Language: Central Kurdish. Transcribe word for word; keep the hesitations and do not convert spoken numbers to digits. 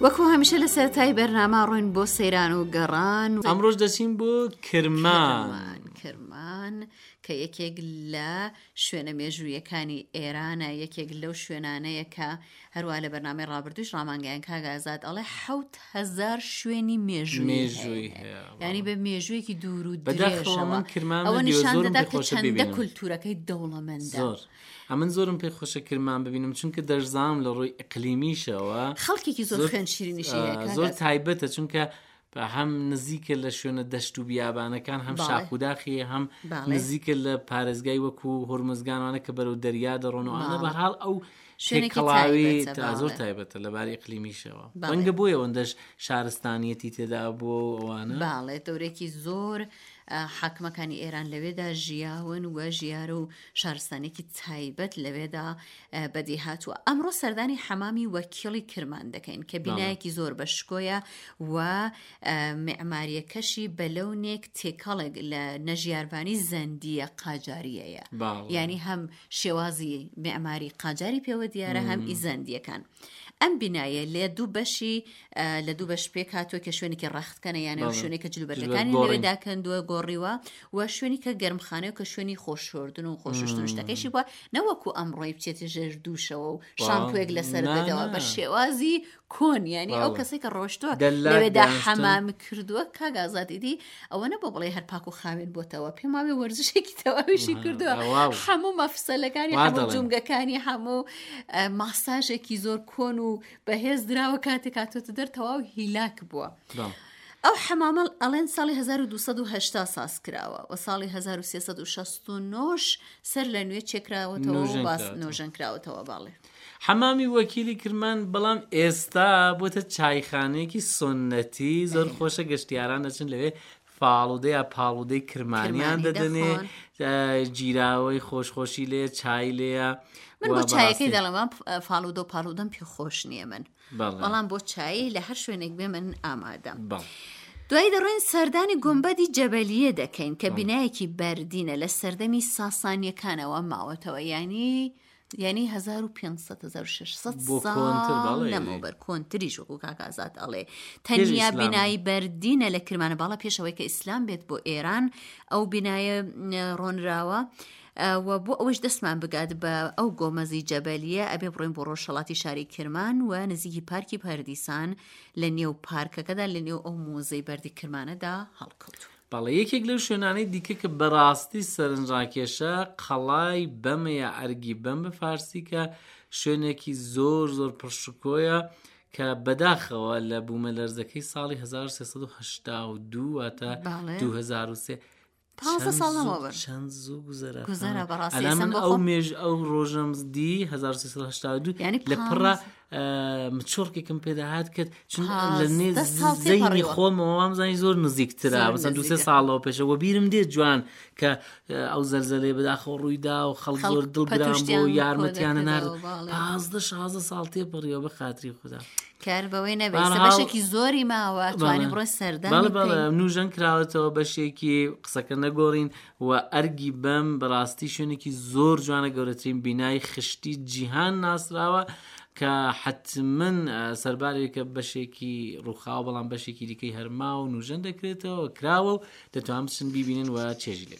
وەکو هەمیشە لە سەرەتای بەرنامە ڕۆین بۆ سەیران و گەڕان. ئەمڕۆش دەچین بۆ کرمان. کرمان کە یەکێک لە شوێنە مێژوویەکانی ئێرانە، یەکێک لەو شوێنانەیە کە هەروە لە بەرنامەی ڕابردووش ڕامانگەیان کاک ئازاد ئەڵێ حەوت هەزار شوێنی مێژووی هەیە، یعنی بە مێژوویەکی دوور و درێژەوە. ئەوە نیشان دەدا کە چەندە کولتوورەکەی دەوڵەمەندە. زۆر ئەمن زۆرم پێ خۆشە کرمان ببینم، چونکە دەشزانم لە ڕووی ئیقلیمیشەوە خەڵکێکی زۆر خوێن شیرینیشی هەیە، زۆر تایبەتە، چونکە هەم نزیکە لە شوێنە دەشت و بیابانەکان، هەم شاخوداخی، هەم نزیکە لە پارێزگای وەکو هۆرمزگانوانە کە بەرەو دەریا دەڕۆن و ئەوانە. بەهەرحاڵ ئەو تێکەڵاوی زۆر تایبەتە لەباری ئیقلیمیشەوە. ڕەنگە بۆیە ئەوەندەش شارستانیەتی تێدا بووە و ئەوانە. باڵێ دەورێکی زۆر حاکمەکانی ئێران لەوێدا ژیاون و ژیار و شارستانێکی تایبەت لەوێدا بەدی هاتووە. ئەمڕۆ سەردانی حەمامی وەکیڵی کرمان دەکەین کە بینایەکی زۆر بە شکۆیە و معماریەکەشی بە لەونێک تێکەڵێک لە نەژیاربانی زەندیە قاجاریەیە. یعنی هەم شێوازی معماری قاجاری پێوە دیارە، هەم ئیزەندیەکان. ئەم بینایە لە دوو بەشی لە دوو بەش پێک هاتووە کە شوێنێکی ڕەختکەنە، یانە شوێنێک کە جلوبەرگەکانی لەوێدا کەندووە گۆڕیوە، و شوێنی کە گەرمخانەیە کە شوێنی خۆشۆردن و خۆششتن شتەکەیشی بووە، نەوەکو ئەمڕۆی بچێتە ژێر دووشەوە و شامپوێک لەسەر بدەوە بە شێوازی کۆن. یعنی ئەو کەسێک کە ڕۆشتووە لەوێدا حەمام کردووە کاک ئازاد ئیدی ئەوە نەبوو بڵێ هەر پاک و خاوێن بۆتەوە، پێم وابێ وەرزشێکی تەواویشی کردووە، هەموو مەفسەلەکانی، هەموو جومگەکانی، هەموو ماساژێکی زۆر کۆن و بەهێز دراوە، کاتێک هاتۆتە دەر تەواو هیلاک بووە. ئەو حەمامە ئەڵێن ساڵی هەزار و دوو سەد و هەشتا ساز کراوە و ساڵی هەزار و سێ سەد و شەست و نۆش سەر لە نوێ چێکراوەتەوە و باس نۆژەن کراوەتەوە. باڵێ حەمامی وەکیلی کرمان بەڵام ئێستا بۆتە چایخانەیەکی سنەتی زۆر خۆشە، گەشتیاران دەچن لەوێ فاڵودە یا پاڵودەی کرمانیان دەدەنێ، گیراوەی خۆشخۆشی لێ، چای لێیە. من بۆ چایەکەی دەڵێم فاڵودە و پاڵودەم پێ خۆش نییە من، بەڵام بۆ چایی لە هەر شوێنێک بێ من ئامادەم. دوایی دەڕۆین سەردانی گۆمبەدی جەبەلیە دەکەین کە بینایەکی بەردینە لە سەردەمی ساسانیەکانەوە ماوەتەوە، یعنی یعنی هەزار و پێنج سەد هەزار و شەش سەد ساڵ لەمەوبەر، کۆنتریش وەکو کاک ئازاد ئەڵێ. تەنیا بینایی بەردینە لە کرمانە باڵا پێشەوەی کە ئیسلام بێت بۆ ئێران ئەو بینایە ڕۆنراوە. و بۆ ئەوەش دەستمان بگات بە ئەو گۆمەزی جەبەلیە ئەبێ بڕۆین بۆ ڕۆژهەڵاتی شاری کرمان و نزیکی پارکی پەردیسان لە نێو پارکەکەدا لە نێو ئەو مۆزەی بەردی کرمانەدا هەڵکەوتوو. بەڵێ یەکێک لەو شوێنانەی دیکە کە بەڕاستی سەرنجڕاکێشە قەڵای بەمە یا ئەرگی بەم بە فارسی، کە شوێنێکی زۆر زۆر پڕشکۆیە کە بەداخەوە لە بوومەلەرزەکەی ساڵی هەزار و سێ سەد و هەشتا و دوو واتە دوو هەزار و سێ پازدە ساڵ لەمەوبەر چەند زوو گوزەرا. گوزەرا بەڕاستی. ئەلا من ئەو مێژ ئەو ڕۆژەم دی هەزار و سێ سەد و هەشتا و دوو لە پڕە مچۆڕکێکم پێدا هات کرد، چون لە نێ زەینی خۆمەوە وامزانی زۆر نزیکترە، مثلا دوو سێ ساڵەوە پێشەوە بیرم دێت جوان کە ئەو زەلزەلەیە بەداخەوە ڕوویدا و خەڵک زۆر دڵگران بوو، یارمەتیانە نارد. پازدە شازدە ساڵ تێپەڕیەوە بە خاتری خودا. کار بەوەی نەبێت بەشێکی زۆری ماوە توانی بڕۆ سەردان. بەڵێ بەڵێ نوژەن کراوەتەوە بەشێکی قسەکە نەگۆڕین و ئەرگی بەم بەڕاستی شوێنێکی زۆر جوانە، گەورەترین بینای خشتی جیهان ناسراوە کە حتمن سەربارێکە بەشێکی ڕووخاوە بەڵام بەشێکی دیکەی هەرما و نوژەن دەکرێتەوە کراوە و دەتوان بچن بیبینن و چێژی لێ.